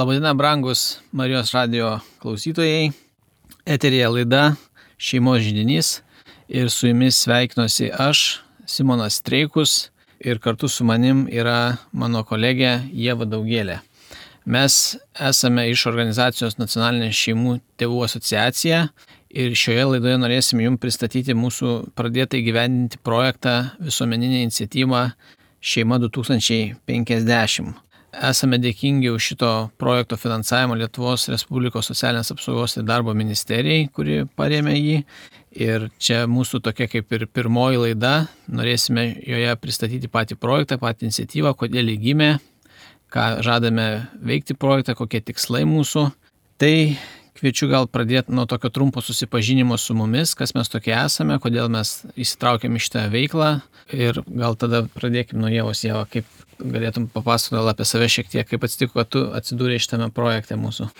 Labadiena, brangus Marijos radijo klausytojai. Eteryje laida Šeimos židinys ir su jumis sveikinuosi aš, Simonas Streikus, ir kartu su manim yra mano kolegė Ieva Daugėlė. Mes esame iš organizacijos Nacionalinė šeimų tėvų asociacija ir šioje laidoje norėsim jums pristatyti mūsų pradėtą įgyvendinti projektą visuomeninę iniciatyvą Šeima 2050. Esame dėkingi už šito projekto finansavimą Lietuvos Respublikos socialinės apsaugos ir darbo ministerijai, kuri parėmė jį. Ir čia mūsų tokia kaip ir pirmoji laida. Norėsime joje pristatyti patį projektą, patį iniciatyvą, kodėl jį gimė, ką žadame veikti projektą, kokie tikslai mūsų. Tai kviečiu gal pradėti nuo tokio trumpo susipažinimo su mumis, kas mes tokie esame, kodėl mes įsitraukėm į šitą veiklą. Ir gal tada pradėkim nuo Ievos. Ieva, kaip galėtum papasakoti apie save šiek tiek, kaip atsitiko, kad tu atsidūrei šitame projekte mūsų.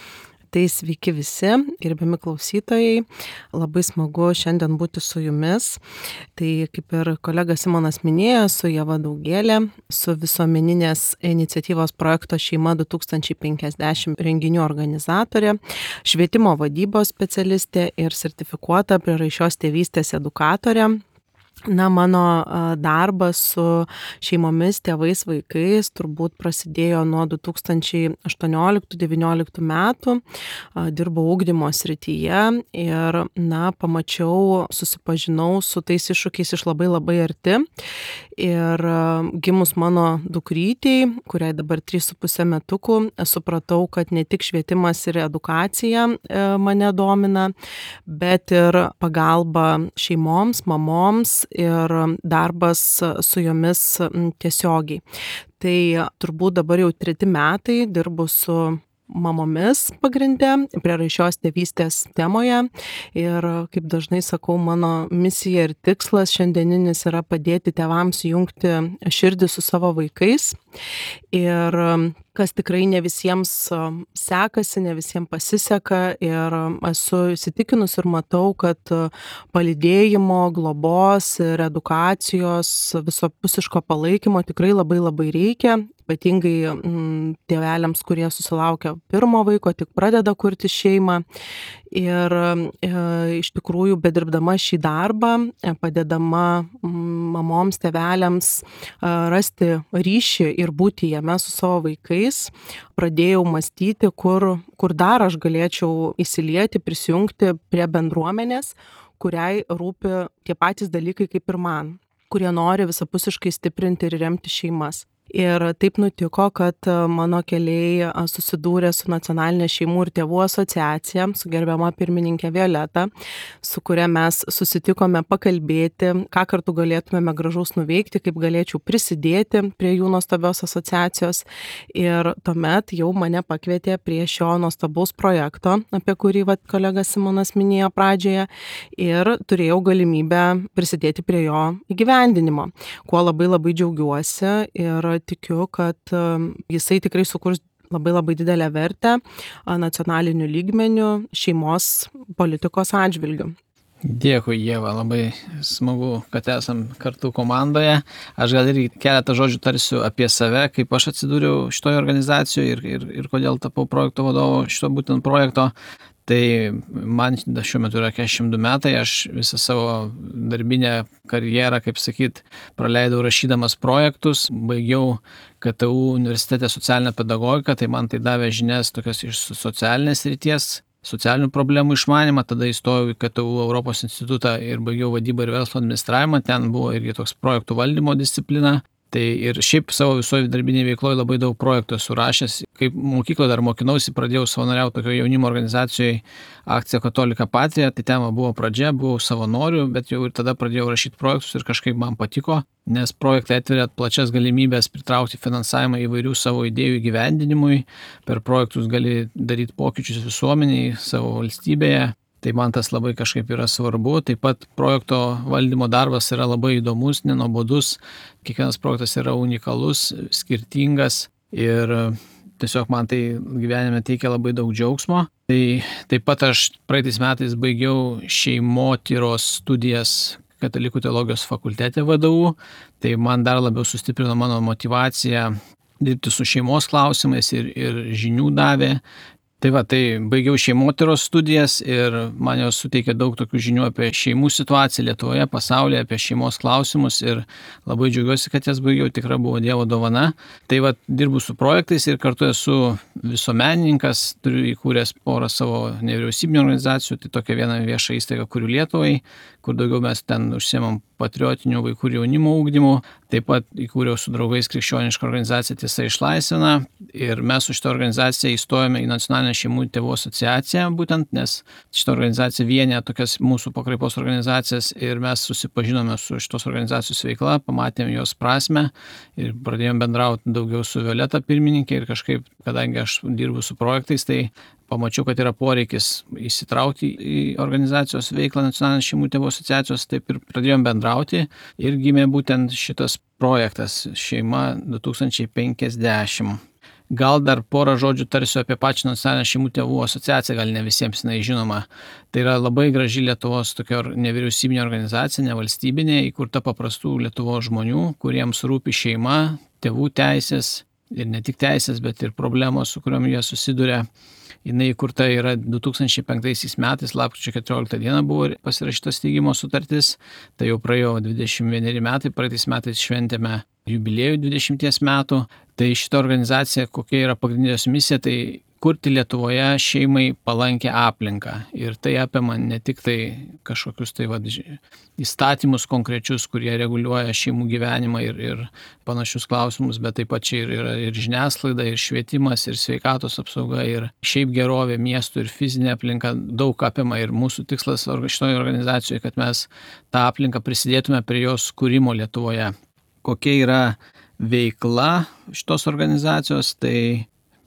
Tai sveiki visi, gerbiami klausytojai, labai smagu šiandien būti su jumis. Tai kaip ir kolega Simonas minėjo, su Ieva Daugėlė, su visuomeninės iniciatyvos projekto Šeima 2050 renginių organizatorė, švietimo vadybos specialistė ir sertifikuota prieraišios tėvystės edukatorė. Mano darbas su šeimomis, tėvais, vaikais turbūt prasidėjo nuo 2018-2019 metų. Dirbau ugdymo srityje ir, susipažinau su tais iššūkiais iš labai arti. Ir gimus mano dukrytei, kuriai dabar 3,5 metukų, supratau, kad ne tik švietimas ir edukacija mane domina, bet ir pagalba šeimoms, mamoms ir darbas su jomis tiesiogiai. Tai turbūt dabar jau 3 metai dirbu su mamomis pagrinde, prieraišios tėvystės temoje. Ir kaip dažnai sakau, mano misija ir tikslas šiandieninis yra padėti tėvams jungti širdį su savo vaikais. Ir kas tikrai ne visiems sekasi, ne visiems pasiseka. Ir esu įsitikinus ir matau, kad palydėjimo, globos ir edukacijos, visapusiško palaikymo tikrai labai reikia. Ypatingai tėveliams, kurie susilaukia pirmo vaiko, tik pradeda kurti šeimą. Ir iš tikrųjų, bedirbdama šį darbą, padedama mamoms, tėveliams rasti ryšį ir būti jame su savo vaikais, pradėjau mąstyti, kur dar aš galėčiau įsilieti, prisijungti prie bendruomenės, kuriai rūpi tie patys dalykai kaip ir man, kurie nori visapusiškai stiprinti ir remti šeimas. Ir taip nutiko, kad mano keliai susidūrė su Nacionalinė šeimų ir tėvų asociacija, su gerbiama pirmininkė Violeta, su kuria mes susitikome pakalbėti, ką kartu galėtumėme gražaus nuveikti, kaip galėčiau prisidėti prie jų nuostabios asociacijos. Ir tuomet jau mane pakvietė prie šio nuostabaus projekto, apie kurį kolega Simonas minėjo pradžioje, ir turėjau galimybę prisidėti prie jo įgyvendinimo, kuo labai džiaugiuosi ir tikiu, kad jisai tikrai sukurs labai didelę vertę nacionaliniu lygmeniu šeimos politikos atžvilgiu. Dėkui, Ieva, labai smagu, kad esam kartu komandoje. Aš gal irgi keletą žodžių tarsiu apie save, kaip aš atsidūriau šitoje organizacijoje ir kodėl tapau projekto vadovu šito būtent projekto. Tai man šiuo metu yra 42 metai, aš visą savo darbinę karjerą, kaip sakyt, praleidau rašydamas projektus, baigiau KTU universitete socialinę pedagogiką, tai man tai davė žinias tokios iš socialinės srities, socialinių problemų išmanymą, tada įstojau į KTU Europos institutą ir baigiau vadybą ir verslo administravimą, ten buvo irgi toks projektų valdymo disciplina. Tai ir šiaip savo visoje darbinėje veikloje labai daug projektų esu rašęs. Kaip mokykloje dar mokinausi, pradėjau savanoriauti tokio jaunimo organizacijoje Akcija Katolika Patrija, tai tema buvo pradžia, buvau savanoriu, bet jau ir tada pradėjau rašyti projektus ir kažkaip man patiko, nes projektai atveria plačias galimybės pritraukti finansavimą įvairių savo idėjų įgyvendinimui, per projektus gali daryti pokyčius visuomeniai, savo valstybėje. Tai man tas labai kažkaip yra svarbu. Taip pat projekto valdymo darbas yra labai įdomus, nenuobodus. Kiekvienas projektas yra unikalus, skirtingas ir tiesiog man tai gyvenime teikia labai daug džiaugsmo. Tai taip pat aš praeitais metais baigiau šeimotyros studijas Katalikų teologijos fakultete VDU. Tai man dar labiau sustiprino mano motyvaciją dirbti su šeimos klausimais ir žinių davė. Tai va, tai baigiau šeimotyros studijas ir man jos suteikė daug tokių žinių apie šeimų situaciją Lietuvoje, pasaulyje, apie šeimos klausimus ir labai džiaugiuosi, kad jas baigiau, tikrai buvo Dievo dovana. Tai va, dirbu su projektais ir kartu esu visuomenininkas, turiu įkūręs porą savo nevyriausybinių organizacijų, tai tokia viena vieša įstaiga Kuriu Lietuvai, kur daugiau mes ten užsiemam patriotinių vaikų ir jaunimo ugdymų. Taip pat įkūriau su draugais krikščionišką organizaciją Tiesa išlaisvina ir mes su šitą organizaciją įstojome į Nacionalinę šeimų tėvų asociaciją būtent, nes šitą organizaciją vienė tokias mūsų pakraipos organizacijas ir mes susipažinome su šitos organizacijos veikla, pamatėm jos prasme ir pradėjom bendrauti daugiau su Violeta pirmininkė ir kažkaip, kadangi aš dirbu su projektais, tai pamačiau, kad yra poreikis įsitraukti į organizacijos veiklą Nacionalinės šeimų tėvų asociacijos, taip ir pradėjom bendrauti ir gimė būtent šitas projektas Šeima 2050. Gal dar porą žodžių tarsiu apie pačią Nacionalinę šeimų tėvų asociaciją, gal ne visiems jinai žinoma. Tai yra labai graži Lietuvos tokia nevyriausybinė organizacija, nevalstybinė, įkurta paprastų Lietuvos žmonių, kuriems rūpi šeima, tėvų teisės ir ne tik teisės, bet ir problemos, su kuriuom jie susiduria. Jinai įkurta yra 2005 metais, lapkričio 14 dieną buvo pasirašyta steigimo sutartis, tai jau praėjo 21 metai, praeitais metais šventėme jubiliejų 20 metų. Tai šita organizacija, kokia yra pagrindinės misija, tai kurti Lietuvoje šeimai palankę aplinką. Ir tai apima ne tik tai kažkokius tai įstatymus konkrečius, kurie reguliuoja šeimų gyvenimą ir panašius klausimus, bet taip pat čia yra ir žiniasklaida, ir švietimas, ir sveikatos apsauga, ir šiaip gerovė miestų, ir fizinė aplinka daug apima. Ir mūsų tikslas šitoje organizacijoje, kad mes tą aplinką prisidėtume prie jos kūrimo Lietuvoje. Kokia yra veikla šitos organizacijos, tai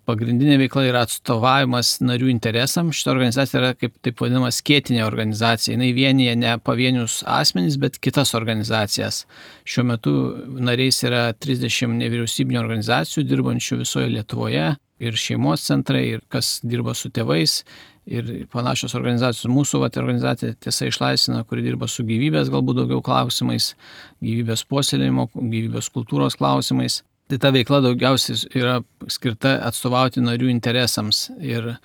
pagrindinė veikla yra atstovavimas narių interesams. Šita organizacija yra kaip taip vadinama skėtinė organizacija. Jis vienyje ne pavienius asmenys, bet kitas organizacijas. Šiuo metu nariais yra 30 nevyriausybinių organizacijų dirbančių visoje Lietuvoje ir šeimos centrai, ir kas dirba su tėvais. Ir panašios organizacijos. Mūsų organizacija Tiesa išlaisvina, kuri dirba su gyvybės galbūt daugiau klausimais, gyvybės puoselėjimo, gyvybės kultūros klausimais. Tai ta veikla daugiausiai yra skirta atstovauti narių interesams ir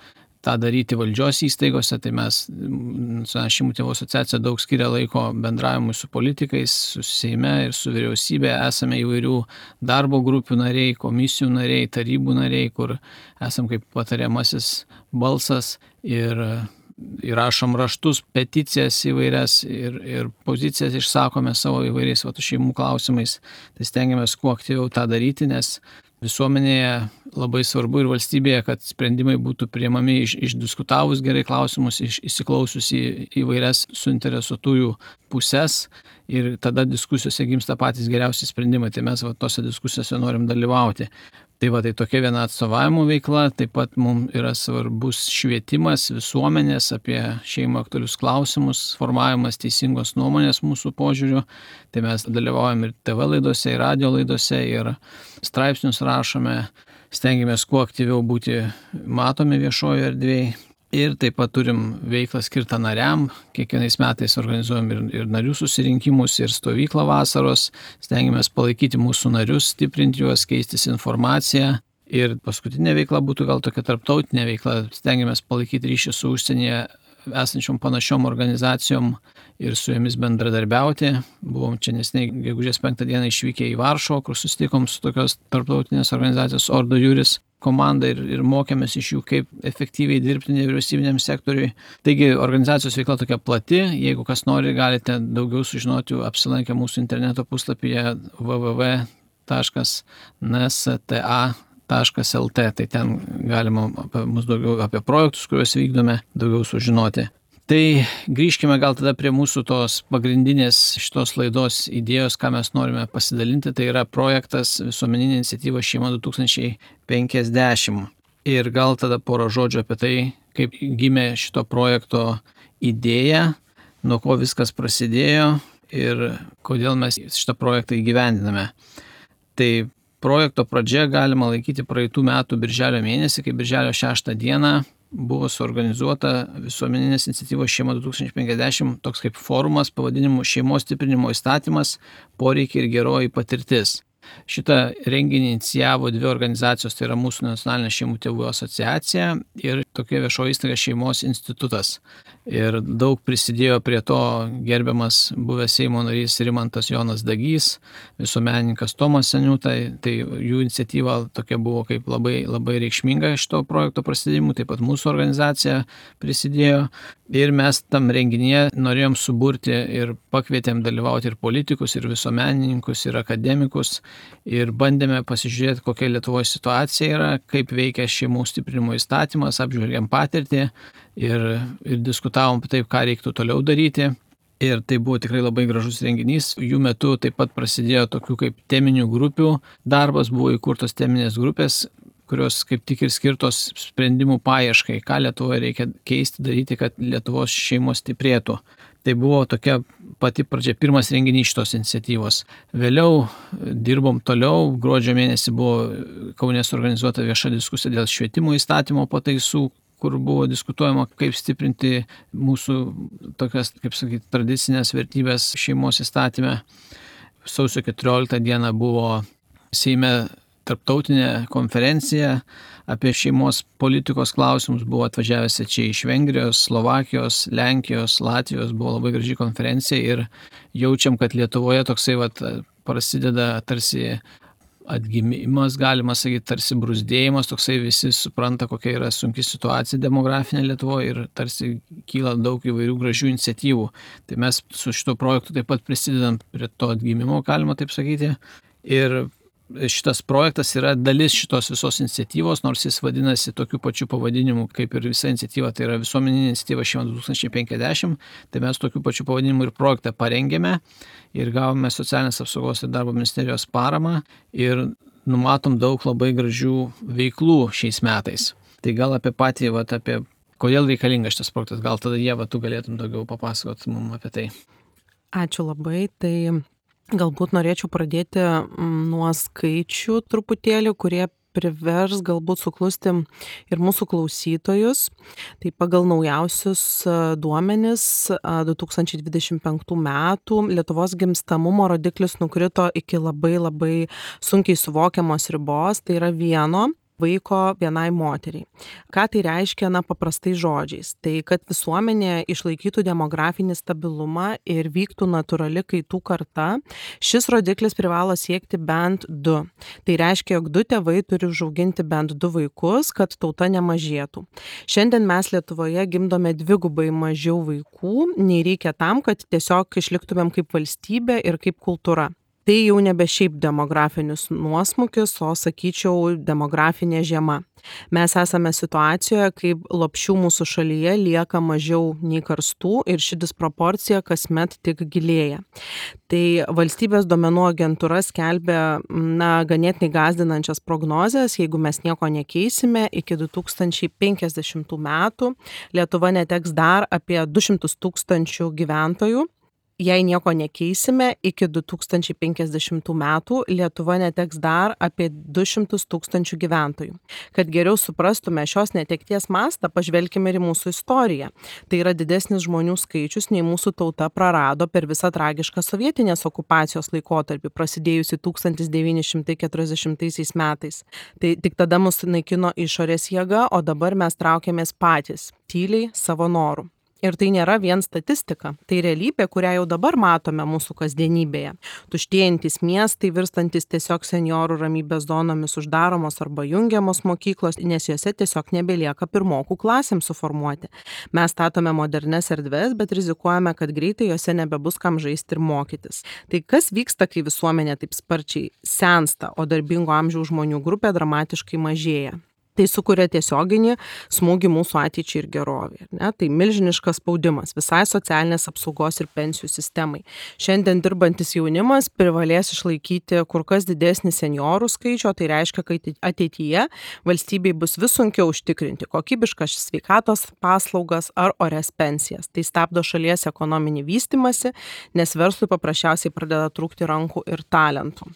tą daryti valdžios įstaigose. Tai mes, Nacionalinė šeimų tėvų asociacija, daug skiria laiko bendravimui su politikais, su Seime ir su vyriausybė. Esame įvairių darbo grupių nariai, komisijų nariai, tarybų nariai, kur esam kaip patariamasis balsas ir įrašom raštus, peticijas įvairias ir pozicijas išsakome savo įvairiais šeimų klausimais. Tai stengiamės kuo aktyviau tą daryti, nes visuomenėje labai svarbu ir valstybėje, kad sprendimai būtų priimami išdiskutavus gerai klausimus, įsiklausius į įvairias suinteresuotųjų puses ir tada diskusijose gimsta patys geriausi sprendimai. Tai mes tose diskusijose norim dalyvauti. Tai tokia viena atstovavimo veikla, taip pat mums yra svarbus švietimas visuomenės apie šeimą aktualius klausimus, formavimas teisingos nuomonės mūsų požiūriu. Tai mes dalyvaujam ir TV laidose, ir radio laidose, ir straipsnius rašome, stengiamės kuo aktyviau būti matomi viešojo erdvėje. Ir taip pat turim veiklą skirtą nariam. Kiekvienais metais organizuojam ir narių susirinkimus, ir stovyklą vasaros. Stengiamės palaikyti mūsų narius, stiprinti juos, keistis informaciją. Ir paskutinė veikla būtų gal tokia tarptautinė veikla. Stengiamės palaikyti ryšį su užsienyje esančiom panašiom organizacijom ir su jomis bendradarbiauti. Buvom čia neseniai gegužės 5 dieną išvykę į Varšuvą, kur susitikom su tokios tarptautinės organizacijos Ordo Juris komanda ir mokėmės iš jų, kaip efektyviai dirbti nevyriausybiniam sektoriui. Taigi organizacijos veikla tokia plati. Jeigu kas nori, galite daugiau sužinoti apsilankę mūsų interneto puslapyje www.nsta.lt. Tai ten galima apie mus daugiau, apie projektus, kuriuos vykdome, daugiau sužinoti. Tai grįžkime gal tada prie mūsų tos pagrindinės šitos laidos idėjos, ką mes norime pasidalinti. Tai yra projektas visuomeninė iniciatyva Šeima 2050. Ir gal tada porą žodžių apie tai, kaip gimė šito projekto idėja, nuo ko viskas prasidėjo ir kodėl mes šitą projektą įgyvendiname. Tai projekto pradžia galima laikyti praeitų metų birželio mėnesį, kai birželio 6 dieną buvo suorganizuota visuomeninės iniciatyvos Šeima 2050 toks kaip forumas pavadinimu Šeimos stiprinimo įstatymas, poreikiai ir geroji patirtis. Šitą renginį inicijavo dvi organizacijos, tai yra mūsų nacionalinė šeimų tėvų asociacija ir tokia viešoji įstaiga Šeimos institutas. Ir daug prisidėjo prie to gerbiamas buvęs Seimo narys Rimantas Jonas Dagys, visuomenininkas Tomas Seniūta, tai jų iniciatyva tokia buvo kaip labai reikšminga šito projekto prasidėjimų, taip pat mūsų organizacija prisidėjo. Ir mes tam renginyje norėjom suburti ir pakvietėm dalyvauti ir politikus, ir visuomenininkus, ir akademikus. Ir bandėme pasižiūrėti, kokia Lietuvoje situacija yra, kaip veikia šeimų stiprinimo įstatymas, apžvelgiam patirtį ir diskutavom apie tai, ką reiktų toliau daryti. Ir tai buvo tikrai labai gražus renginys. Jų metu taip pat prasidėjo tokių kaip teminių grupių darbas, buvo įkurtos teminės grupės, kurios kaip tik ir skirtos sprendimų paieškai, ką Lietuvoje reikia keisti, daryti, kad Lietuvos šeimos stiprėtų. Tai buvo tokia pati pradžia, pirmas renginys šitos iniciatyvos. Vėliau dirbom toliau, gruodžio mėnesį buvo Kaune suorganizuota vieša diskusija dėl švietimo įstatymo pataisų, kur buvo diskutuojama, kaip stiprinti mūsų tokias, kaip sakyti, tradicinės vertybės šeimos įstatyme. Sausio 14 dieną buvo Seime tarptautinė konferencija apie šeimos politikos klausimus, buvo atvažiavęs čia iš Vengrijos, Slovakijos, Lenkijos, Latvijos, buvo labai graži konferencija ir jaučiam, kad Lietuvoje toksai prasideda tarsi atgimimas, galima sakyti, tarsi brūzdėjimas, toksai visi supranta, kokia yra sunki situacija demografinė Lietuvoje ir tarsi kyla daug įvairių gražių iniciatyvų. Tai mes su šito projektu taip pat prisidedam prie to atgimimo, galima taip sakyti. Ir šitas projektas yra dalis šitos visos iniciatyvos, nors jis vadinasi tokiu pačiu pavadinimu kaip ir visa iniciatyva, tai yra visuomeninė iniciatyva Šeima 2050, tai mes tokiu pačiu pavadinimu ir projektą parengėme ir gavome Socialinės apsaugos ir darbo ministerijos paramą ir numatom daug labai gražių veiklų šiais metais. Tai gal apie patį, apie kodėl reikalingas šitas projektas, gal tada Ieva, tu galėtum daugiau papasakoti mums apie tai. Ačiū labai. Tai galbūt norėčiau pradėti nuo skaičių truputėlį, kurie privers galbūt suklusti ir mūsų klausytojus. Tai pagal naujausius duomenis 2025 metų Lietuvos gimstamumo rodiklis nukrito iki labai sunkiai suvokiamos ribos, tai yra 1 vaiko vienai moteriai. Ką tai reiškia, paprastai žodžiais? Tai kad visuomenė išlaikytų demografinį stabilumą ir vyktų natūrali kaitų karta, šis rodiklis privalo siekti bent 2. Tai reiškia, jog 2 tėvai turi užauginti bent 2 vaikus, kad tauta nemažėtų. Šiandien mes Lietuvoje gimdome 2 mažiau vaikų, nei reikia tam, kad tiesiog išliktumėm kaip valstybė ir kaip kultūra. Tai jau nebe šiaip demografinis nuosmukis, o sakyčiau demografinė žiema. Mes esame situacijoje, kaip lopšių mūsų šalyje lieka mažiau nei karstų ir ši disproporcija kasmet tik gilėja. Tai valstybės duomenų agentūra skelbia ganėtinai gąsdinančias prognozes, jeigu mes nieko nekeisime, iki 2050 metų Lietuva neteks dar apie 200 000 gyventojų. Jei nieko nekeisime, iki 2050 metų Lietuva neteks dar apie 200 000 gyventojų. Kad geriau suprastume šios netekties mastą, pažvelkime ir į mūsų istoriją. Tai yra didesnis žmonių skaičius, nei mūsų tauta prarado per visą tragišką sovietinės okupacijos laikotarpį, prasidėjusi 1940 metais. Tai tik tada mus naikino išorės jėga, o dabar mes traukiamės patys, tyliai, savo norų. Ir tai nėra vien statistika, tai realybė, kurią jau dabar matome mūsų kasdienybėje. Tuštėjantis miestai, virstantis tiesiog senjorų ramybės zonomis, uždaromos arba jungiamos mokyklos, nes jose tiesiog nebelieka pirmokų klasėms suformuoti. Mes statome modernes erdves, bet rizikuojame, kad greitai jose nebebus kam žaisti ir mokytis. Tai kas vyksta, kai visuomenė taip sparčiai sensta, o darbingo amžiaus žmonių grupė dramatiškai mažėja? Tai sukuria tiesioginį smūgį mūsų ateičiai ir gerovei. Tai milžiniškas spaudimas visai socialinės apsaugos ir pensijų sistemai. Šiandien dirbantis jaunimas privalės išlaikyti kur kas didesnį senjorų skaičių, tai reiškia, kad ateityje valstybei bus vis sunkiau užtikrinti kokybiškas sveikatos paslaugas ar orias pensijas. Tai stabdo šalies ekonominį vystymąsi, nes verslui paprasčiausiai pradeda trūkti rankų ir talentų.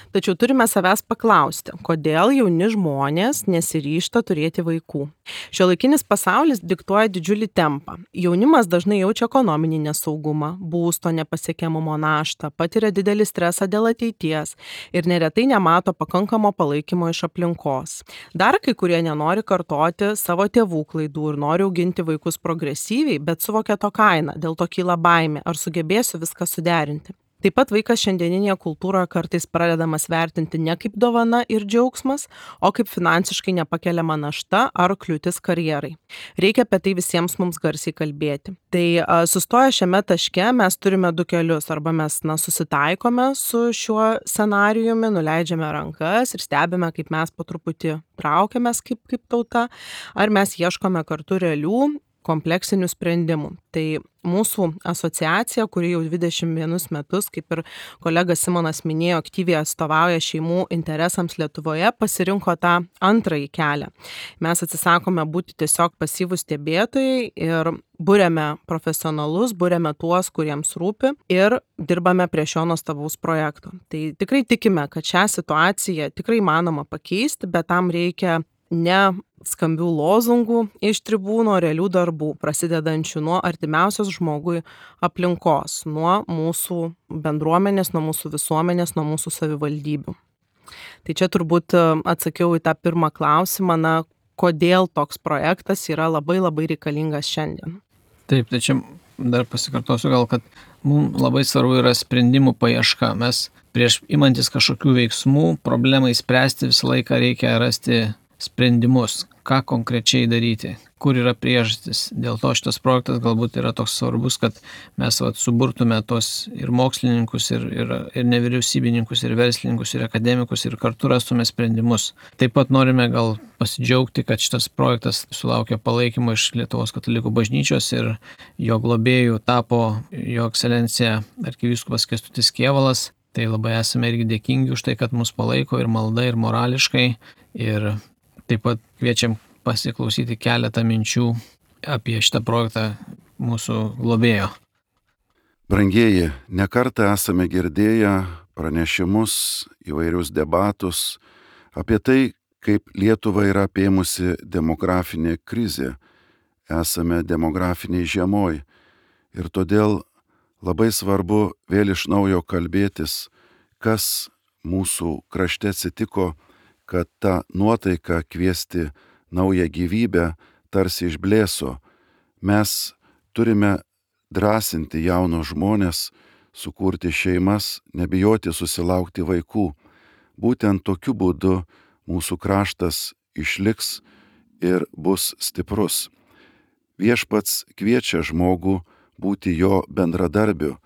Tačiau turime savęs paklausti, kodėl jauni žmonės nesiryžta turėti vaikų. Šiuolaikinis pasaulis diktuoja didžiulį tempą. Jaunimas dažnai jaučia ekonominį nesaugumą, būsto nepasiekiamumo naštą, patiria didelį stresą dėl ateities ir neretai nemato pakankamo palaikymo iš aplinkos. Dar kai kurie nenori kartoti savo tėvų klaidų ir nori auginti vaikus progresyviai, bet suvokia to kainą, dėl to kyla baimė, ar sugebėsiu viską suderinti. Taip pat vaikas šiandieninėje kultūroje kartais pradedamas vertinti ne kaip dovana ir džiaugsmas, o kaip finansiškai nepakeliama našta ar kliūtis karjerai. Reikia apie tai visiems mums garsiai kalbėti. Tai sustoję šiame taške mes turime du kelius. Arba mes susitaikome su šiuo scenarijumi, nuleidžiame rankas ir stebime, kaip mes po truputį traukiamės kaip tauta, ar mes ieškome kartu realių kompleksinių sprendimų. Tai mūsų asociacija, kuri jau 21 metus, kaip ir kolega Simonas minėjo, aktyviai atstovauja šeimų interesams Lietuvoje, pasirinko tą antrąjį kelią. Mes atsisakome būti tiesiog pasyvūs stebėtojai ir buriame profesionalus, buriame tuos, kuriems rūpi ir dirbame prie šio nuostabaus projekto. Tai tikrai tikime, kad šią situaciją tikrai įmanoma pakeisti, bet tam reikia ne skambių lozungų iš tribūno, realių darbų, prasidedančių nuo artimiausios žmogui aplinkos, nuo mūsų bendruomenės, nuo mūsų visuomenės, nuo mūsų savivaldybių. Tai čia turbūt atsakiau į tą pirmą klausimą, kodėl toks projektas yra labai reikalingas šiandien. Taip, tai čia dar pasikartosiu gal, kad mums labai svarbu yra sprendimų paieška. Mes prieš imantis kažkokių veiksmų, problemai spręsti visą laiką reikia rasti sprendimus, ką konkrečiai daryti, kur yra priežastis. Dėl to šitas projektas galbūt yra toks svarbus, kad mes suburtume tos ir mokslininkus, ir nevyriausybininkus, ir verslininkus, ir akademikus, ir kartu rastume sprendimus. Taip pat norime gal pasidžiaugti, kad šitas projektas sulaukė palaikymo iš Lietuvos katalikų bažnyčios ir jo globėjų tapo jo ekscelencija arkivyskupas Kęstutis Kėvalas. Tai labai esame irgi dėkingi už tai, kad mus palaiko ir malda, ir morališkai. Ir taip pat kviečiam pasiklausyti keletą minčių apie šitą projektą mūsų globėjo. Brangieji, nekartą esame girdėję pranešimus, įvairius debatus apie tai, kaip Lietuva yra apėmusi demografinė krizė. Esame demografiniai žiemoj ir todėl labai svarbu vėl iš naujo kalbėtis, kas mūsų krašte atsitiko, kad ta nuotaika kviesti naują gyvybę tarsi išblėso. Mes turime drąsinti jaunus žmonės, sukurti šeimas, nebijoti susilaukti vaikų. Būtent tokiu būdu mūsų kraštas išliks ir bus stiprus. Viešpats kviečia žmogų būti jo bendradarbiu,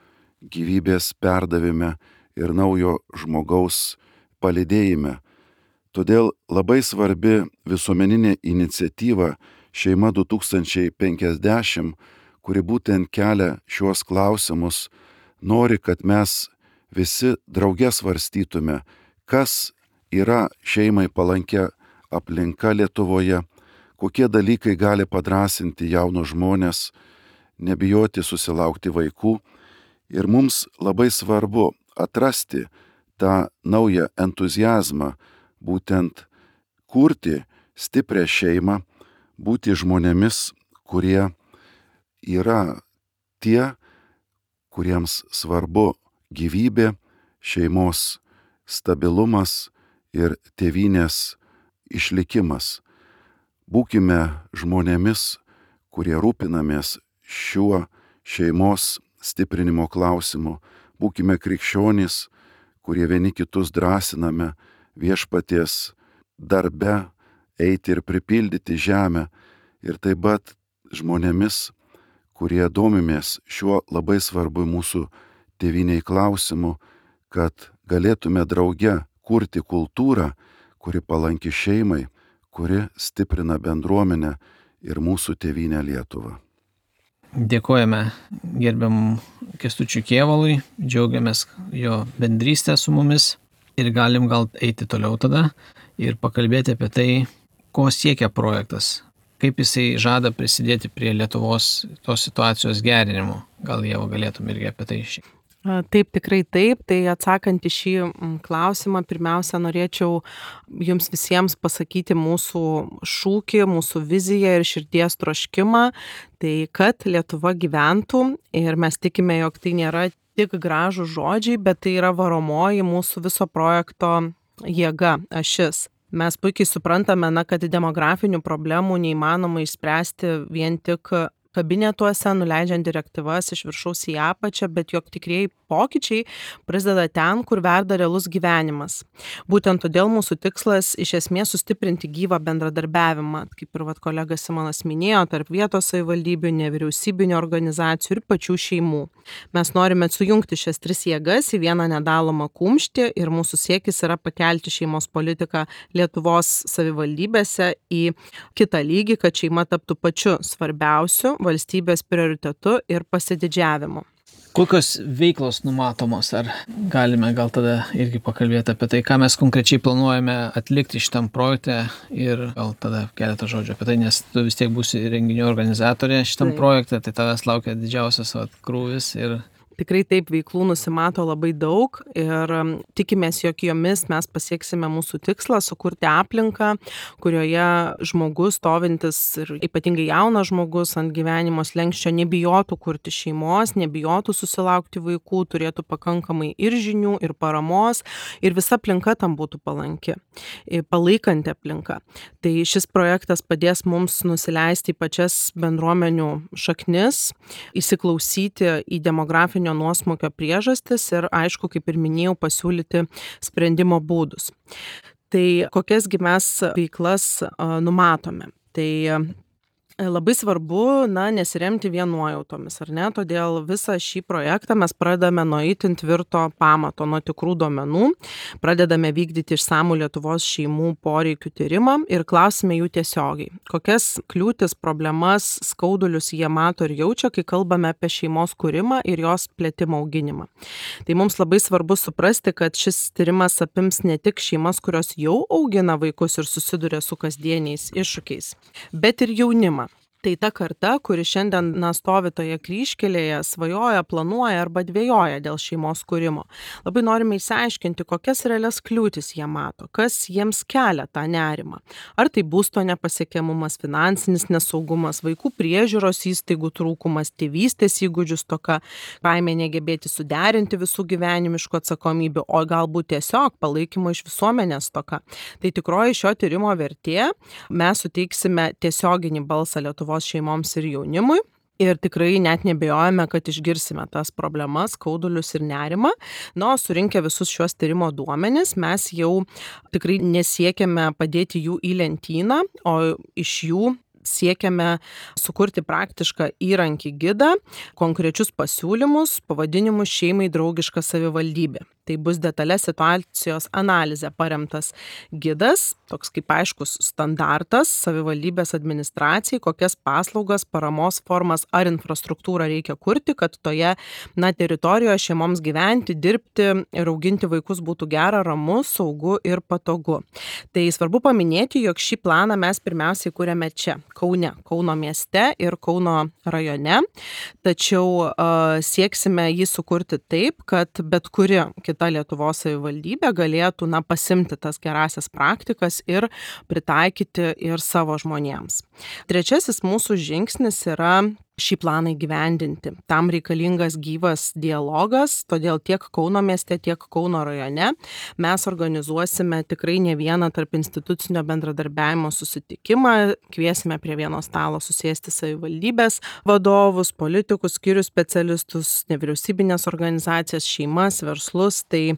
gyvybės perdavime ir naujo žmogaus palydėjime. Todėl labai svarbi visuomeninė iniciatyva Šeima 2050, kuri būtent kelia šiuos klausimus, nori, kad mes visi drauge svarstytume, kas yra šeimai palankia aplinka Lietuvoje, kokie dalykai gali padrąsinti jaunus žmonės, nebijoti susilaukti vaikų. Ir mums labai svarbu atrasti tą naują entuziazmą, būtent kurti stiprią šeimą, būti žmonėmis, kurie yra tie, kuriems svarbu gyvybė, šeimos stabilumas ir tėvynės išlikimas. Būkime žmonėmis, kurie rūpinamės šiuo šeimos stiprinimo klausimu. Būkime krikščionys, kurie vieni kitus drąsiname viešpaties darbe eiti ir pripildyti žemę. Ir taip pat žmonėmis, kurie domimės šiuo labai svarbu mūsų tėvyniai klausimu, kad galėtume drauge kurti kultūrą, kuri palanki šeimai, kuri stiprina bendruomenę ir mūsų tėvynę Lietuvą. Dėkojame gerbiamam Kęstučiui Kėvalui, džiaugiamės jo bendrystę su mumis ir galim gal eiti toliau tada ir pakalbėti apie tai, ko siekia projektas, kaip jisai žada prisidėti prie Lietuvos tos situacijos gerinimo. Gal Ieva galėtum irgi apie tai šiek tiek. Taip, tikrai taip. Tai atsakant į šį klausimą, pirmiausia, norėčiau jums visiems pasakyti mūsų šūkį, mūsų viziją ir širdies troškimą. Tai kad Lietuva gyventų ir mes tikime, jog tai nėra tik gražūs žodžiai, bet tai yra varomoji mūsų viso projekto jėga, ašis. Mes puikiai suprantame, kad demografinių problemų neįmanoma išspręsti vien tik kabinetuose, nuleidžiant direktyvas iš viršaus į apačią, bet jog tikrieji pokyčiai prasideda ten, kur verda realus gyvenimas. Būtent todėl mūsų tikslas iš esmės sustiprinti gyvą bendradarbiavimą, kaip ir kolega Simonas minėjo, tarp vietos savivaldybių, nevyriausybinių organizacijų ir pačių šeimų. Mes norime sujungti šias tris jėgas į vieną nedalomą kumštį ir mūsų siekis yra pakelti šeimos politiką Lietuvos savivaldybėse į kitą lygį, kad šeima taptų pačiu svarbiausiu valstybės prioritetu ir pasididžiavimu. Kokios veiklos numatomos? Ar galime gal tada irgi pakalbėti apie tai, ką mes konkrečiai planuojame atlikti šitam projekte ir gal tada keletą žodžių apie tai, nes tu vis tiek būsi renginių organizatorė šitam projekte, tai tavęs laukia didžiausias krūvis ir Tikrai taip, veiklų nusimato labai daug ir tikimės, jog jomis mes pasieksime mūsų tikslą sukurti aplinką, kurioje žmogus stovintis ir ypatingai jaunas žmogus ant gyvenimo slenksčio nebijotų kurti šeimos, nebijotų susilaukti vaikų, turėtų pakankamai ir žinių, ir paramos ir visa aplinka tam būtų palanki, palaikanti aplinka. Tai šis projektas padės mums nusileisti į pačias bendruomenių šaknis, įsiklausyti į demografinio nuosmukio priežastis ir, aišku, kaip ir minėjau, pasiūlyti sprendimo būdus. Tai kokiasgi mes veiklas numatome? Tai labai svarbu, nesiremti vien nuojautomis, ar ne? Todėl visą šį projektą mes pradedame nuo itin tvirto pamato, nuo tikrų duomenų, pradedame vykdyti išsamų Lietuvos šeimų poreikių tyrimą ir klausime jų tiesiogiai. Kokias kliūtis, problemas, skaudulius jie mato ir jaučia, kai kalbame apie šeimos kūrimą ir jos plėtimą auginimą. Tai mums labai svarbu suprasti, kad šis tyrimas apims ne tik šeimas, kurios jau augina vaikus ir susiduria su kasdieniais iššūkiais, bet ir jaunimą. Tai ta karta, kuri šiandien stovi toje kryžkelėje, svajoja, planuoja arba dvejoja dėl šeimos kūrimo. Labai norime išsiaiškinti, kokias realias kliūtis jie mato, kas jiems kelia tą nerimą. Ar tai būsto nepasiekiamumas, finansinis nesaugumas, vaikų priežiūros įstaigų trūkumas, tėvystės įgūdžių stoka, baimė negebėti suderinti visų gyvenimiškų atsakomybių, o galbūt tiesiog palaikymo iš visuomenės stoka. Tai tikroji šio tyrimo vertė, mes suteiksime tiesioginį balsą Lietuvos šeimoms ir jaunimui ir tikrai net nebejojame, kad išgirsime tas problemas, skaudulius ir nerimą. Surinkę visus šios tyrimo duomenis, mes jau tikrai nesiekiame padėti jų į lentyną, o iš jų siekiame sukurti praktišką įrankį gidą, konkrečius pasiūlymus, pavadinimus šeimai draugiška savivaldybė. Tai bus detalė situacijos analizė paremtas gidas, toks kaip aiškus standartas savivaldybės administracijai, kokias paslaugas, paramos formas ar infrastruktūrą reikia kurti, kad toje teritorijoje šeimoms gyventi, dirbti ir auginti vaikus būtų gera, ramu, saugu ir patogu. Tai svarbu paminėti, jog šį planą mes pirmiausiai kūrėme čia, Kaune, Kauno mieste ir Kauno rajone, tačiau sieksime jį sukurti taip, kad bet kuri kita Lietuvos savivaldybė galėtų pasimti tas gerasias praktikas ir pritaikyti ir savo žmonėms. Trečiasis mūsų žingsnis yra šį planą įgyvendinti. Tam reikalingas gyvas dialogas, todėl tiek Kauno mieste, tiek Kauno rajone mes organizuosime tikrai ne vieną tarp institucinio bendradarbiavimo susitikimą, kviesime prie vieno stalo susėsti savivaldybės vadovus, politikus, skyrių specialistus, nevyriausybinės organizacijas, šeimas, verslus, tai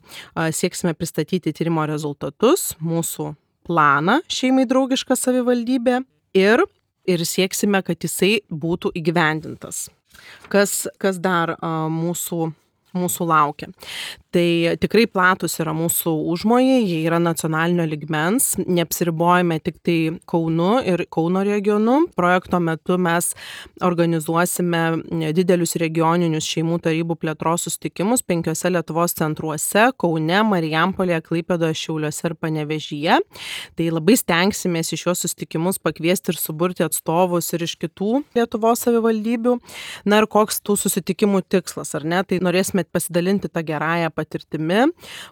sieksime pristatyti tyrimo rezultatus, mūsų planą šeimai draugiška savivaldybė ir sieksime, kad jisai būtų įgyvendintas. Kas dar mūsų laukia? Tai tikrai platus yra mūsų užmojai, jie yra nacionalinio lygmens, neapsiribojame tik tai Kaunu ir Kauno regionu. Projekto metu mes organizuosime didelius regioninius šeimų tarybų plėtros susitikimus 5 Lietuvos centruose – Kaune, Marijampolėje, Klaipėdoje, Šiauliuose ir Panevėžyje. Tai labai stengsimės į šios susitikimus pakviesti ir suburti atstovus ir iš kitų Lietuvos savivaldybių. Ir koks tų susitikimų tikslas, ar ne? Tai norėsime pasidalinti tą gerąją patirtimi,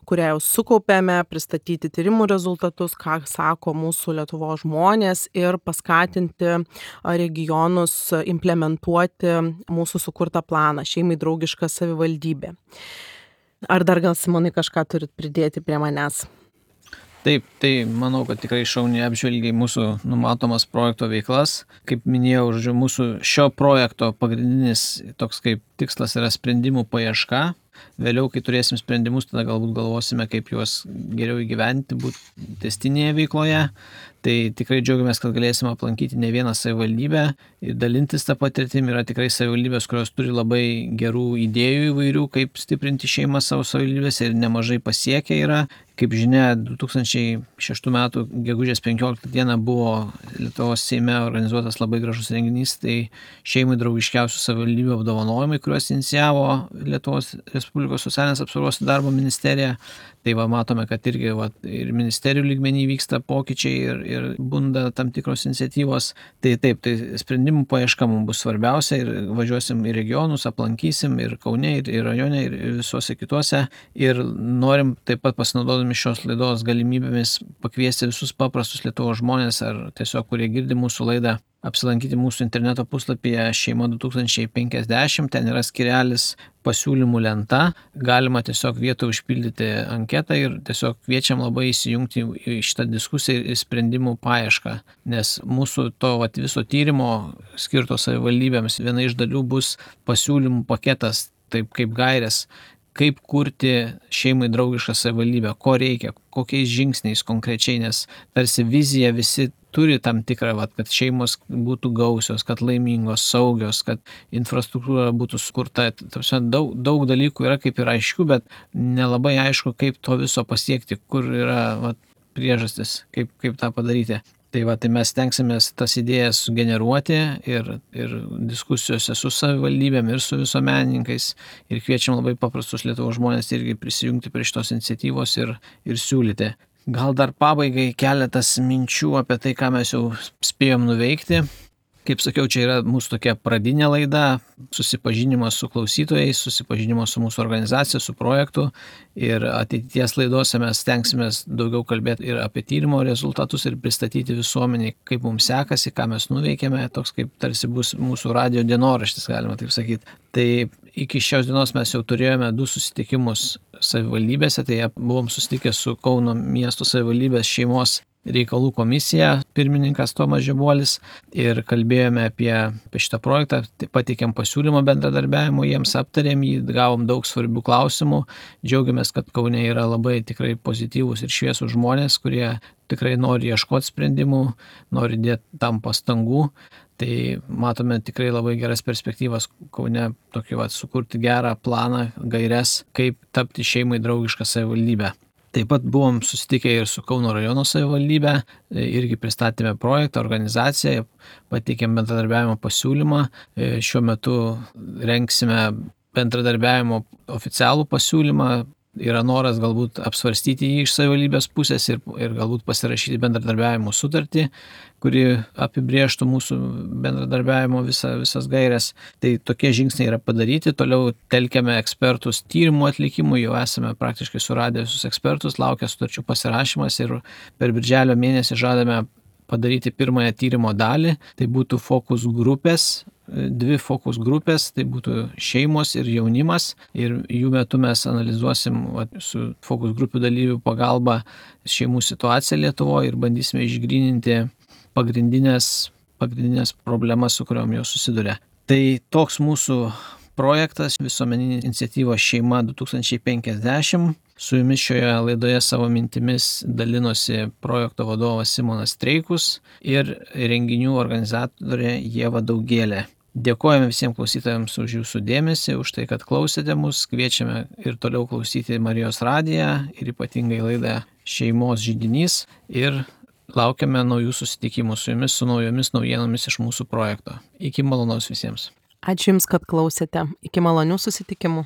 kurią jau sukaupėme, pristatyti tyrimų rezultatus, ką sako mūsų Lietuvos žmonės ir paskatinti regionus implementuoti mūsų sukurtą planą šeimai draugiška savivaldybė. Ar dar gal, Simonai, kažką turit pridėti prie manęs? Taip, tai manau, kad tikrai šauniai apžvelgiai mūsų numatomas projekto veiklas. Kaip minėjau, mūsų šio projekto pagrindinis toks kaip tikslas yra sprendimų paieška. Vėliau, kai turėsim sprendimus, tada galbūt galvosime, kaip juos geriau įgyventi, būti testinėje veikloje. Tai tikrai džiaugiamės, kad galėsime aplankyti ne vieną savivaldybę ir dalintis tą patirtimį. Yra tikrai savivaldybės, kurios turi labai gerų idėjų įvairių, kaip stiprinti šeimą savo savivaldybėse ir nemažai pasiekę yra. Kaip žinia, 2006 m. gegužės 15 d. buvo Lietuvos Seime organizuotas labai gražus renginys, tai šeimai draugiškiausių savivaldybių apdovanojimai, kuriuos inicijavo Lietuvos Respublikos socialinės apsaugos ir darbo ministerija. Tai matome, kad irgi ir ministerijų lygmenį vyksta pokyčiai ir bunda tam tikros iniciatyvos. Tai taip, tai sprendimų paieška mums bus svarbiausia ir važiuosim į regionus, aplankysim ir Kaune, ir rajone, ir visuose kituose. Ir norim taip pat pasinaudodami šios laidos galimybėmis pakviesti visus paprastus Lietuvos žmonės ar tiesiog, kurie girdi mūsų laidą, apsilankyti mūsų interneto puslapyje Šeima 2050, ten yra skirelis pasiūlymų lenta, galima tiesiog vietoj užpildyti anketą ir tiesiog kviečiam labai įsijungti į šitą diskusiją ir sprendimų paiešką, nes mūsų to viso tyrimo skirto savivaldybėms viena iš dalių bus pasiūlymų paketas, taip kaip gairės, kaip kurti šeimai draugišką savivaldybę, ko reikia, kokiais žingsniais konkrečiai, nes tarsi vizija visi turi tam tikrą, kad šeimos būtų gausios, kad laimingos, saugios, kad infrastruktūra būtų sukurta. Daug dalykų yra kaip ir aiškių, bet nelabai aišku, kaip to viso pasiekti, kur yra priežastis, kaip tą padaryti. Tai mes stengsimės tas idėjas sugeneruoti ir diskusijose su savivaldybėm ir su visuomenininkais ir kviečiam labai paprastus Lietuvos žmonės irgi prisijungti prie šitos iniciatyvos ir siūlyti. Gal dar pabaigai keletas minčių apie tai, ką mes jau spėjom nuveikti. Kaip sakiau, čia yra mūsų tokia pradinė laida, susipažinimas su klausytojais, susipažinimas su mūsų organizacija, su projektu ir ateities laidose mes stengsimės daugiau kalbėti ir apie tyrimo rezultatus ir pristatyti visuomeniai, kaip mums sekasi, ką mes nuveikėme, toks kaip tarsi bus mūsų radijo dienoraštis, galima taip sakyti. Tai iki šios dienos mes jau turėjome 2 susitikimus savivaldybėse, tai buvom susitikę su Kauno miesto savivaldybės šeimos reikalų komisija, pirmininkas Tomas Žibuolis ir kalbėjome apie šitą projektą, pateikėm pasiūlymą bendradarbiavimo, jiems aptarėm jį, gavom daug svarbių klausimų, džiaugiamės, kad Kaune yra labai tikrai pozityvūs ir šviesūs žmonės, kurie tikrai nori ieškoti sprendimų, nori dėti tam pastangų. Tai matome tikrai labai geras perspektyvas Kaune tokį sukurti gerą planą, gaires, kaip tapti šeimai draugišką savivaldybę. Taip pat buvom susitikę ir su Kauno rajono savivaldybė, irgi pristatėme projektą, organizaciją, pateikėm bendradarbiavimo pasiūlymą. Šiuo metu rengsime bendradarbiavimo oficialų pasiūlymą. Yra noras galbūt apsvarstyti jį iš savivaldybės pusės ir galbūt pasirašyti bendradarbiavimo sutartį, kuri apibrėžtų mūsų bendradarbiavimo visas gairias. Tai tokie žingsniai yra padaryti. Toliau telkiame ekspertus tyrimų atlikimui, jau esame praktiškai suradę visus ekspertus, laukia sutarčių pasirašymas ir per birželio mėnesį žadame padaryti pirmąją tyrimo dalį. Tai būtų fokus grupės. 2 fokus grupės, tai būtų šeimos ir jaunimas ir jų metu mes analizuosim su fokus grupių dalyvių pagalba šeimų situaciją Lietuvoje ir bandysime išgryninti pagrindinės problemas, su kuriuom jos susiduria. Tai toks mūsų projektas, visuomeninė iniciatyva Šeima 2050. Su jumis šioje laidoje savo mintimis dalinosi projekto vadovas Simonas Streikus ir renginių organizatorė Ieva Daugėlė. Dėkojame visiems klausytojams už jūsų dėmesį, už tai, kad klausėte mus. Kviečiame ir toliau klausyti Marijos radiją ir ypatingai laidą Šeimos židinys ir laukiame naujų susitikimų su jumis, su naujomis naujienomis iš mūsų projekto. Iki malonaus visiems. Ačiū Jums, kad klausėte. Iki malonių susitikimų.